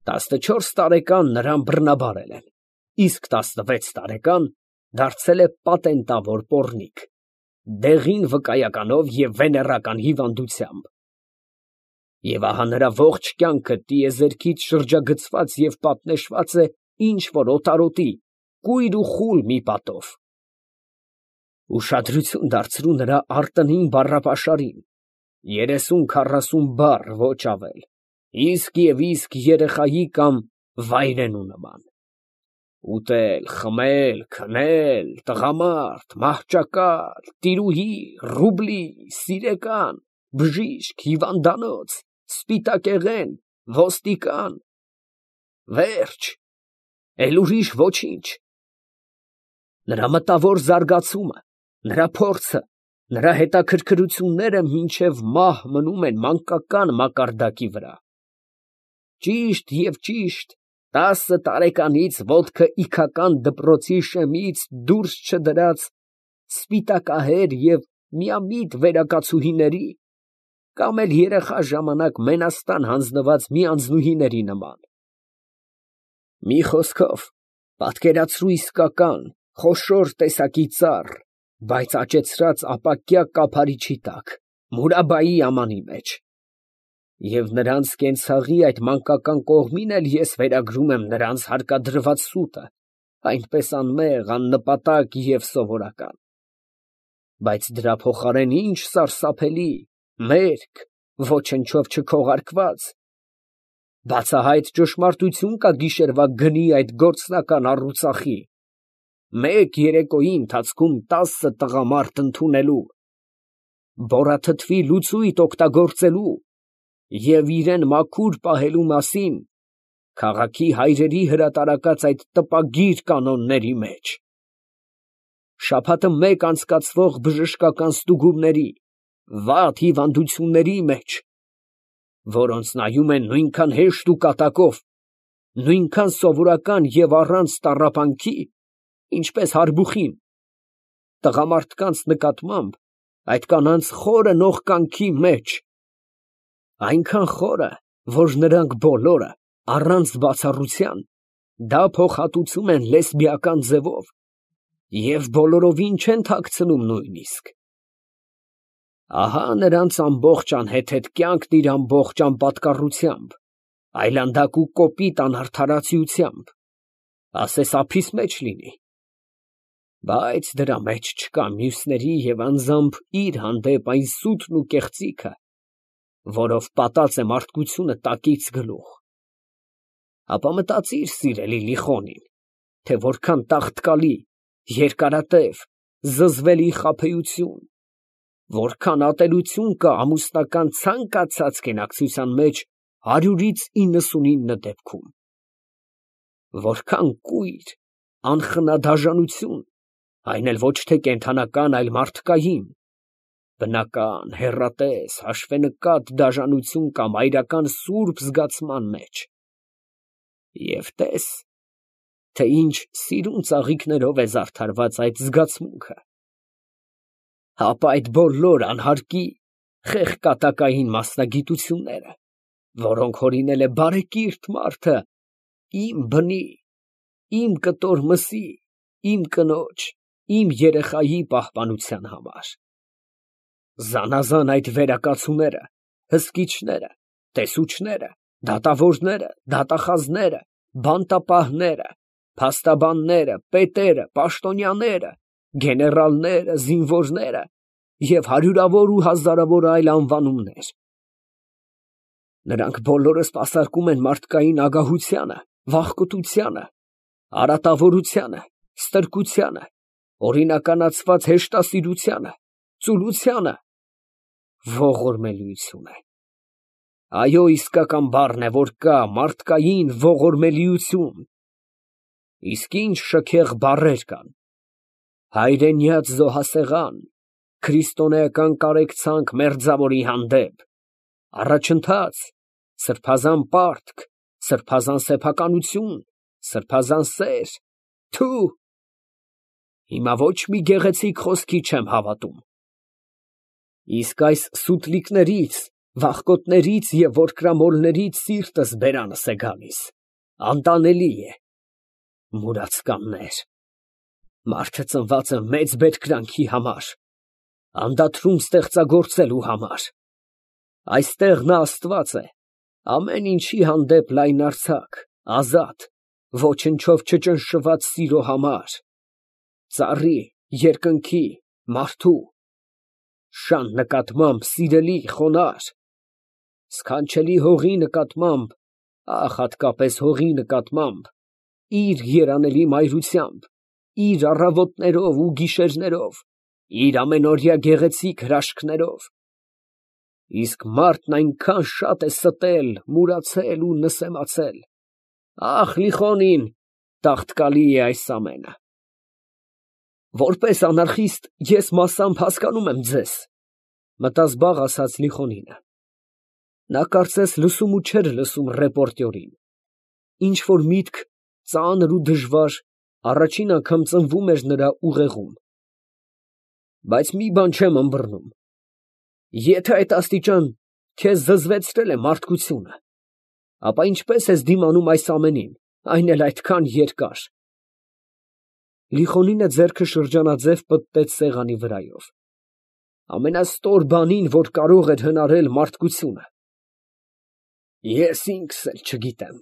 14 տարեկան նրան բռնաբարել են, իսկ 16 տարեկան դարձել է պատենտավոր պոռնիկ, դեղին վկայականով և վեներական հիվանդությամբ։ Եվ ահա նրա ողջ կյանքը տիեզերքից շրջագծված և պատնեշված է ինչ֊որ օտարոտի, կույր ու խուլ մի պատով։ Ուշադրություն դարձրու նրա արտընին բառապաշարին, 30-40 բառ, ոչ ավել, իսկ և իսկ երեխայի կամ վայրենու նման։ Ուտել, խմել, քնել, տղամարդ, մահճակալ, տիրուհի, ռուբլի, սիրեկան, բժիշկ, հիվանդանոց, սպիտակեղեն, ոստիկան, վերջ, էլ ուրիշ ոչինչ։ Նրա մտավոր զարգացումը, նրա փորձը, նրա հետաքրքրությունները մինչև մահ մնում են մանկական մակարդակի վրա։ Ճիշտ և ճիշտ 10 տարեկանից ոտքը իգական դպրոցի շեմից դուրս չդրած սպիտակահեր և միամիտ վերակացուհիների կամ էլ երեխա ժամանակ մենաստան հանձնված մի անձնուհիների նման։ Մի խոսքով, պատկերացրու իսկական, խոշոր տեսակի ծառ, բայց աճեցրած ապակյա կափարիչի տակ, Մուրաբայի ամանի մեջ։ Եվ նրանց կենցաղի այդ մանկական կողմին էլ ես վերագրում եմ նրանց հարկադրված սուտը, այնպես անմեղ, աննպատակ և սովորական։ Բայց դրա փոխարեն ինչ սարսափելի, մերկ, ոչնչով չքողարկված, բացահայտ ճշմարտություն կա գիշերվա գնի այդ գործնական առուծախի, մեկ երեկոյի ընթացքում 10 տղամարդ ընդունելու, բոռաթթվի լուծույթ օգտագործելու և իրան մաքուր պահելու մասին քաղաքի հայրերի հրատարակած այդ տպագիր կանոնների մեջ, շաբաթը մեկ անցկացվող բժշկական ստուգումների, վատ հիվանդությունների մեջ, որոնց նայում են նույնքան հեշտ ու կատակով, նույնքան սովորական և առանց տառապանքի, ինչպես հարբուխին, տղամարդկանց նկատմամբ այդ կանանց խորը նողկանքի մեջ, այնքան խորը, որ նրանք բոլորը, առանց բացառության, դա փոխհատուցում են լեսբիական ձևով և բոլորովին չեն թաքցնում նույնիսկ։ Ահա նրանց ամբողջ անհեթեթ կյանքն իր ամբողջ անպատկառությամբ, այլանդակ ու կոպիտ անարդարացիությամբ, ասես ափիս մեջ լինի, բայց դրա մեջ չկա մյուսների և անձամբ իր հանդեպ այն սուտն ու կեղծիքը, որով պատած է մարդկությունը տակից գլուխ։ Ապա մտածիր, սիրելի Լիխոնին, թե որքան տաղտկալի, երկարատև, զզվելի խաբեություն, որքան ատելություն կա ամուսնական ցանկացած կենակցության մեջ 199 դեպքում, որքան կույր, անխնադաժանություն, այն էլ ոչ թե կենդանական, այլ մարդկային, բնական, հեռատես, հաշվենկատ դաժանություն կա մայրական սուրբ զգացման մեջ, և տես, թե ինչ սիրուն ծաղիկներով է զարդարված այդ զգացմունքը, ապա այդ բոլոր անհարկի, խեղկատակային մասնագիտությունները, որոնք հորինել է բարեկիրթ մարդը իմ բնի, իմ կտոր մսի, իմ կնոջ, իմ երեխայի պահպանության համար, զանազան այդ վերակացուները, հսկիչները, տեսուչները, դատավորները, դատախազները, բանտապահները, փաստաբանները, պետերը, պաշտոնյաները, գեներալները, զինվորները և հարյուրավոր ու հազարավոր այլ անվանումներ, նրանք բոլորը սպասարկում են մարդկային ագահությանը, վախկոտությանը, արատավորությանը, ստրկությանը, օրինականացված հեշտասիրությանը, ծուլությանը, ողորմելիություն է։ Այո, իսկական բառն է, որ կա մարդկային ողորմելիություն։ Իսկ ինչ շքեղ բառեր կան. հայրենյաց զոհասեղան, քրիստոնեական կարեկցանք մերձավորի հանդեպ, առաջընթաց, սրբազան պարտք, սրբազան սեփականություն, սրբազան սեր, թո՛ւ, հիմա ոչ մի գեղեցիկ խոսքի չեմ հավատում։ Իսկ այս սուտլիկներից, վախկոտներից և որկրամոլներից սիրտս բերանս է գալիս։ անտանելի է։ Մուրացկաններ, մարդը ծնված է մեծ բերկրանքի համար, անդադրում ստեղծագործելու համար։ Այստեղ նա Աստված է, ամեն ինչի հանդեպ լայնարձակ, ազատ, ոչնչով չճնշված սիրո համար, ծառի, երկնքի, մարդու, շան նկատմամբ սիրելի, խոնարհ, սքանչելի հողի նկատմամբ, հատկապես հողի նկատմամբ, իր երանելի մայրությամբ, իր առավոտներով ու գիշերներով, իր ամենօրյա գեղեցիկ հրաշքներով։ Իսկ մարդն այնքան շատ է ստել, մուրացել ու նսեմացել։ Լիխոնին տաղտկալի է այս ամենը։ Որպես անարխիստ ես մասամբ հասկանում եմ ձեզ, մտածեց զբաղ ասաց Լիխոնինը։ Նա կարծես լսում ու չէր լսում ռեպորտյորին։ Ինչ որ միտք ծանր ու դժվար առաջին անգամ ծնվում էր նրա ուղեղում։ Բայց մի բան չեմ ըմբռնում. եթե այդ աստիճան քեզ զզվեցրել է մարդկությունը, ապա ինչպես ես դիմանում այս ամենին, այն էլ այդքան երկար։ Լիխոնինը ձեռքը շրջանաձև պտտեց սեղանի վրայով։ Ամենաստոր բանին, որ կարող էր հնարել մարդկությունը։ Ես ինքս էլ չգիտեմ,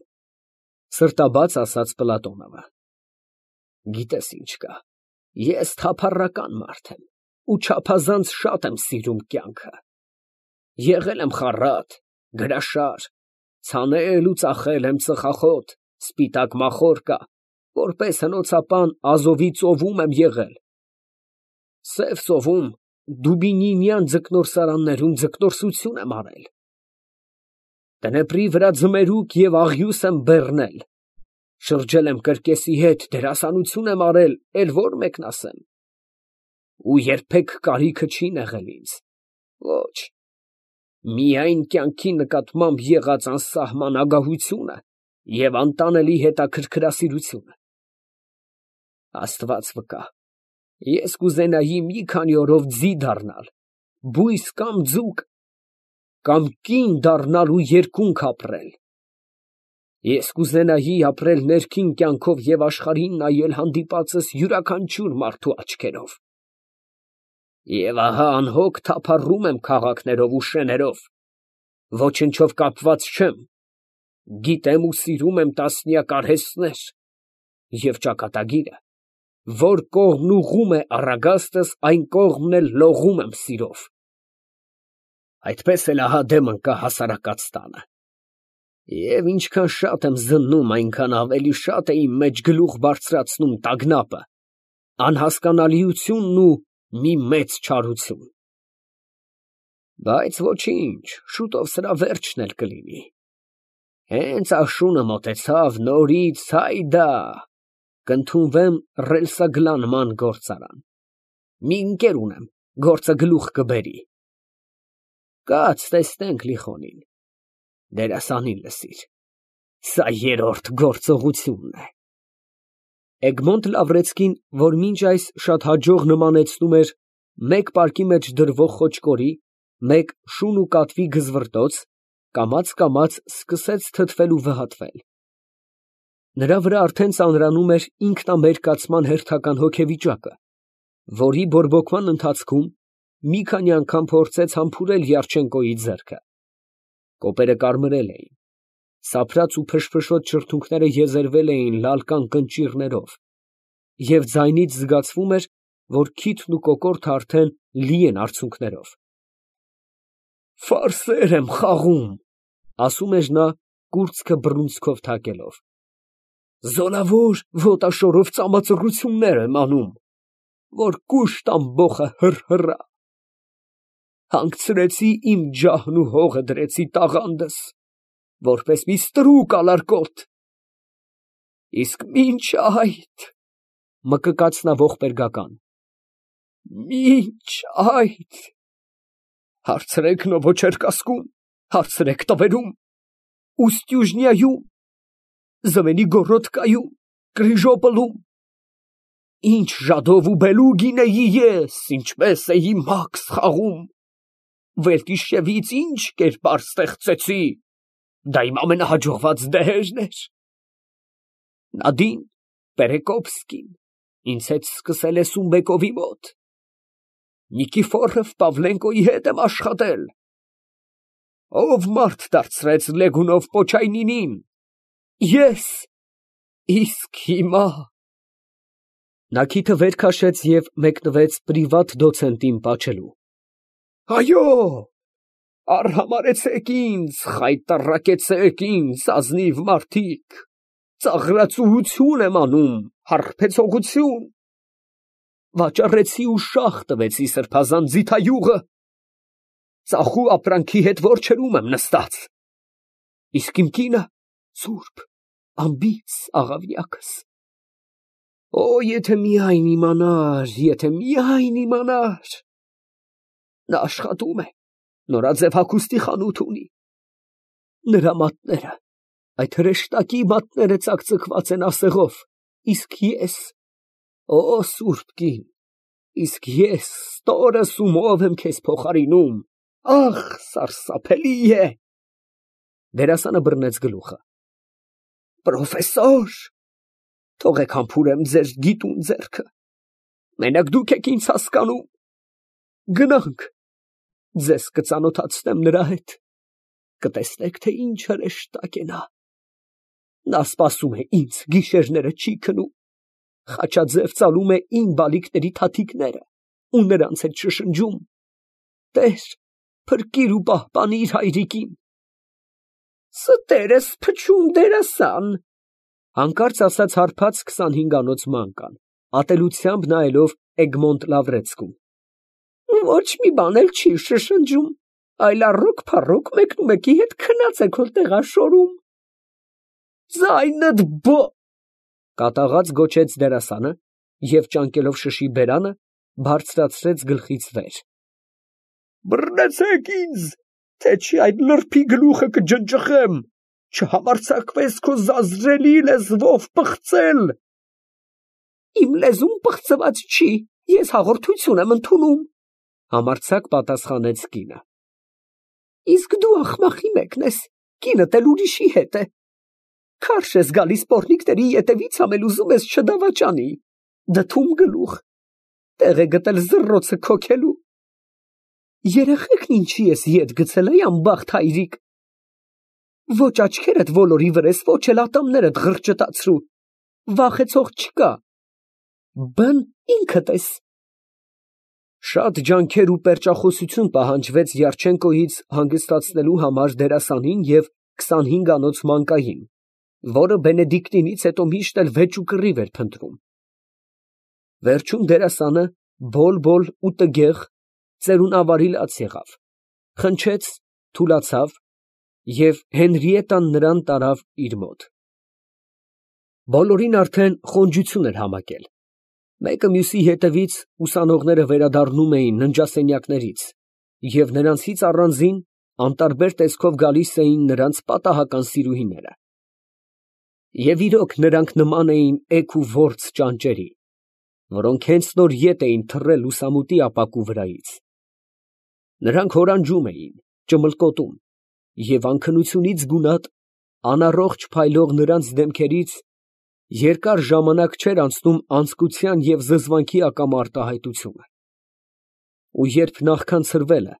սրտաբաց ասաց Պլատոնովը։ Գիտես ինչ կա, ես թափառական մարդ եմ ու չափազանց շատ եմ սիրում կյանքը։ Եղել եմ խառատ, գրաշար, ցանել ու ծախել եմ ծխախոտ, սպիտակ մախորկա, որպես հնոցապան Ազովի ծովում եմ եղել։ Սև ծովում Դուբինինյան ձկնորսարաններում ձկնորսություն եմ արել։ Դնեպրի վրա ձմերուկ և աղյուս եմ բեռնել, շրջել եմ կրկեսի հետ, դերասանություն եմ արել, էլ որ մեկն ասեմ։ Ու երբեք կարիքը չի եղել ինձ, ոչ, միայն կյանքի նկատմամբ եղած անսահման ագահությունը և անտանելի հետաքրքրասիրությունը։ Աստված վկա, ես կուզենայի մի քանի օրով ձի դառնալ, բույս կամ ձուկ, կամ կին դառնալ ու երկունք ապրել։ Ես կուզենայի ապրել ներքին կյանքով և աշխարհին նայել հանդիպածս յուրաքանչյուր մարդու աչքերով։ Եվ ահա անհոգ թափառում եմ քաղաքներով ու շեներով, ոչնչով կապված չեմ, գիտեմ ու սիրում եմ տասնյակ արհեստներ, և ճակատագիրը, որ կողմն ուղղում է առագաստս, այն կողմն էլ լողում եմ սիրով։ Այդպես էլ ահա դեմ ընկա հասարակած տանը։ Եվ ինչքան շատ եմ զննում, այնքան ավելի շատ է իմ մեջ գլուխ բարձրացնում տագնապը, անհասկանալիությունն ու մի մեծ չարություն։ Բայց ոչինչ, շուտով սրա վերջն էլ կլինի։ Հենց աշունը մոտեցավ, նորից հայդա, կընդունվեմ ռելսագլանման գործարան։ Մի ընկեր ունեմ, գործը գլուխ կբերի։ Կաց տեսնենք Լիխոնին, դերասանին լսիր, սա երրորդ գործողությունն է։ Էգմոնտ Լավրեցկին, որ մինչ այս շատ հաջող նմանեցնում էր մեկ պարկի մեջ դրվող խոճկորի, մեկ շուն ու կատվի գզվռտոց, կամաց սկսեց թթվել ու վհատվել։ Նրա վրա արդեն ծանրանում էր ինքնամերկացման հերթական հոգեվիճակը, որի բորբոքման ընթացքում մի քանի անգամ փորձեց համբուրել Յարչենկոյի ձեռքը։ Կոպերը կարմրել էին, սափրած ու փշփշոտ շրթունքները եզերվել էին լալկան կնճիռներով, և ձայնից զգացվում էր, որ քիթն ու կոկորդը արդեն լի են արցունքներով։ Ֆարսեր եմ խաղում, ասում էր նա, կուրծքը բռունցքով թակելով։ Զորավոր ոտաշորով ծամածռություններ եմ անում, որ կուշտ ամբոխը հռհռա։ Հանգցրեցի իմ ջահն ու հողը դրեցի տաղանդս, որպես մի ստրուկ ալարկոտ։ Իսկ մինչ այդ, մկկաց նա ողբերգական, մինչ այդ, հարցրեք Նովոչերկասկում, հարցրեք տվերում, Ուստյուժնիայում, Զվենիգորոդկայում, Կրիժոպոլում, ինչ ժադով ու բելուկ գինեի ես, ինչպես էի մաքս խաղում, վերկիշևից ինչ կերպար ստեղծեցի, դա իմ ամենահաջողված դեհերն էր։ Նադին, Պերեկոպսկին, ինձ հետ սկսել է Սումբեկովի մոտ։ Նիկիֆորով Պավլենկոյի հետ եմ աշխատել։ Ով մարդ դարձրեց Լեգունով Պոչայնինին։ Ես։ Իսկ հիմա… Նա քիթը վեր քաշեց և մեկնվեց պրիվատ դոցենտին պատժելու։ Այո, արհամարհեցեք ինձ, խայտառակեցեք ինձ, ազնիվ մարդիկ, ծաղրածուություն եմ անում, հարբեցողություն… Վաճառեցի ու շաղ տվեցի սրբազան ձիթայուղը, ծախու ապրանքի հետ որջերում եմ նստած, իսկ իմ կինը սուրբ, անբիծ աղավնյակս… Օ, եթե միայն իմանար, եթե միայն իմանար… Նա աշխատում է, նորաձև հագուստի խանութ ունի, նրա մատները, այդ հրեշտակի մատները ծակծկված են ասեղով, իսկ ես… Օ, սուրբ կին, իսկ ես ստորս ու մով եմ քեզ փոխարինում… Ախ, սարսափելի է… Դերասանը բռնեց գլուխը։ Պրոֆեսոր… Թողեք համբուրեմ ձեր գիտուն ձեռքը, մենակ դուք եք ինձ հասկանում… Գնանք, ձեզ կծանոթացնեմ նրա հետ, կտեսնեք, թե ինչ հրեշտակ է նա… Նա սպասում է ինձ, գիշերները չի քնում, խաչաձև ծալում է իմ բալիկների թաթիկները ու նրանց հետ շշնջում. «Տեր, փրկիր ու պահպանիր հայրիկին»։ Ստերս փչում դերասան… Հանկարծ ասաց հարբած 25-անոց մանկան, ատելությամբ նայելով Էգմոնտ Լավրեցկուն։ Ոչ մի բան էլ չի շշնջում, այլ առոք մեկնու մեկի հետ քնած եք հոր տեղաշորում… Ձայնդ բո… Կատաղած գոչեց դերասանը և ճանկելով շշի բերանը, բարձրացրեց գլխից վեր։ Բռնեցեք ինձ, թե չի այդ լրբի գլուխը կջնջխեմ, չհամարձակվես քո զազրելի լեզվով պղծել… Իմ լեզուն պղծված չի, ես հաղորդություն եմ ընդունում, համարձակ պատասխանեց կինը։ Իսկ դու աղմախի մեկն ես, կինդ էլ ուրիշի հետ է… Քարշ ես գալիս պոռնիկների ետևից համել ուզում ես չդավաճանի, դդում գլուխ, տեղ է գտել զռռոցը քոքելու… Երեխեքն ինչի ես ետ գցել, անբախտ հայրիկ… Ոչ աչքերդ ոլորի վրես, ոչ էլ ատամներդ ղրճտացրու, վախեցող չկա… Բն ինքդ ես… Շատ ջանքեր ու պերճախոսություն պահանջվեց Յարչենկոյից հանգստացնելու համար դերասանին և 25-անոց մանկային, որը Բենեդիկտինից հետո միշտ էլ վեճ ու կռիվ էր փնտրում… Վերջում դերասանը բոլ ու տգեղ, ծերունավարի լաց եղավ, խնչեց, թուլացավ և Հենրիետան նրան տարավ իր մոտ… Բոլորին արդեն խոնջություն էր համակել, մեկը մյուսի հետևից ուսանողները վերադառնում էին ննջասենյակներից և նրանցից առանձին անտարբեր տեսքով գալիս էին նրանց պատահական սիրուհիները… Եվ իրոք նրանք նման էին էգ ու որց ճանճերի, որոնք հենց նոր ետ էին թռել լուսամուտի ապակու վրայից… Նրանք հորանջում էին, ճմլկոտում, և անքնությունից գունատ, անառողջ փայլող նրանց դեմքերից երկար ժամանակ չէր անցնում անձկության և զզվանքի ակամա արտահայտությունը… Ու երբ նախքան ցրվելը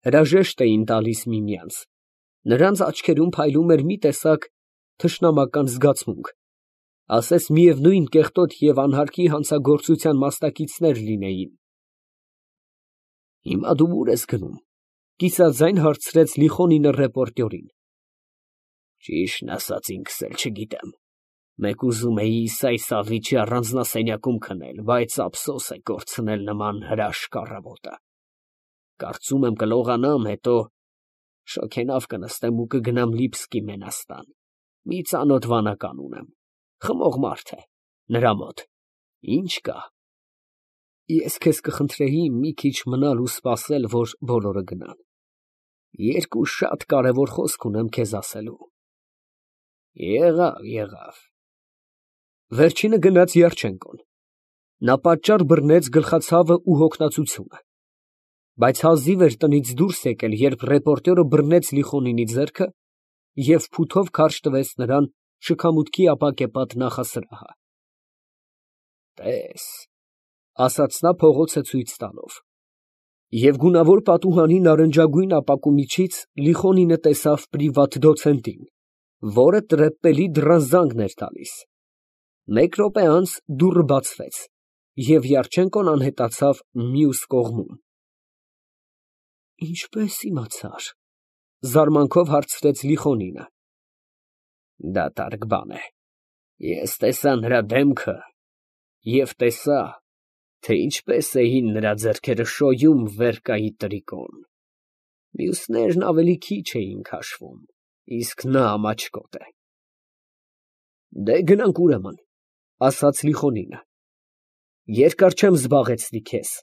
հրաժեշտ էին տալիս միմյանց, նրանց աչքերում փայլում էր մի տեսակ թշնամական զգացմունք, ասես միևնույն կեղտոտ և անհարկի հանցագործության մասնակիցներ լինեին… Հիմա դու ո՞ւր ես գնում, կիսաձայն հարցրեց Լիխոնինը ռեպորտյորին։ Ճիշտն ասած ինքս էլ չգիտեմ, մեկ ուզում էի Իսայ-Սավիչի առանձնասենյակում քնել, բայց ափսոս է կորցնել նման հրաշք առավոտը… Կարծում եմ կլողանամ, հետո շոգենավ կնստեմ ու կգնամ Լիբսկի մենաստան, մի ծանոթ վանական ունեմ, խմող մարդ է, նրա մոտ… Ինչ կա… Ես քեզ կխնդրեի մի քիչ մնալ ու սպասել, որ բոլորը գնան… Երկու շատ կարևոր խոսք ունեմ քեզ ասելու… Եղավ… Վերջինը գնաց Յարչենկոն. նա պատճառ բռնեց գլխացավը ու հոգնածությունը, բայց հազիվ էր տնից դուրս եկել, երբ ռեպորտյորը բռնեց Լիխոնինի ձեռքը և փութով քարշ տվեց նրան շքամուտքի ապակեպատ նախասրահը։ Տես, ասաց նա փողոցը ցույց տալով։ Եվ գունավոր պատուհանի նարնջագույն ապակու միջից Լիխոնինը տեսավ պրիվատ դոցենտին, որը տրեպպելի դռան զանգն էր տալիս։ Մեկ րոպե անց դուռը բացվեց, և Յարչենկոն անհետացավ մյուս կողմում։ Ինչպե՞ս իմացար, զարմանքով հարցրեց Լիխոնինը։ Դատարկ բան է։ Ես տեսա նրա դեմքը և տեսա, թե ինչպես էին նրա ձեռքերը շոյում վերկայի տրիկոն։ Մյուսներն ավելի քիչ էին քաշվում, իսկ նա ամաչկոտ է։ Դե գնանք ուրեմն, ասաց Լիխոնինը։ Երկար չեմ զբաղեցնի քեզ։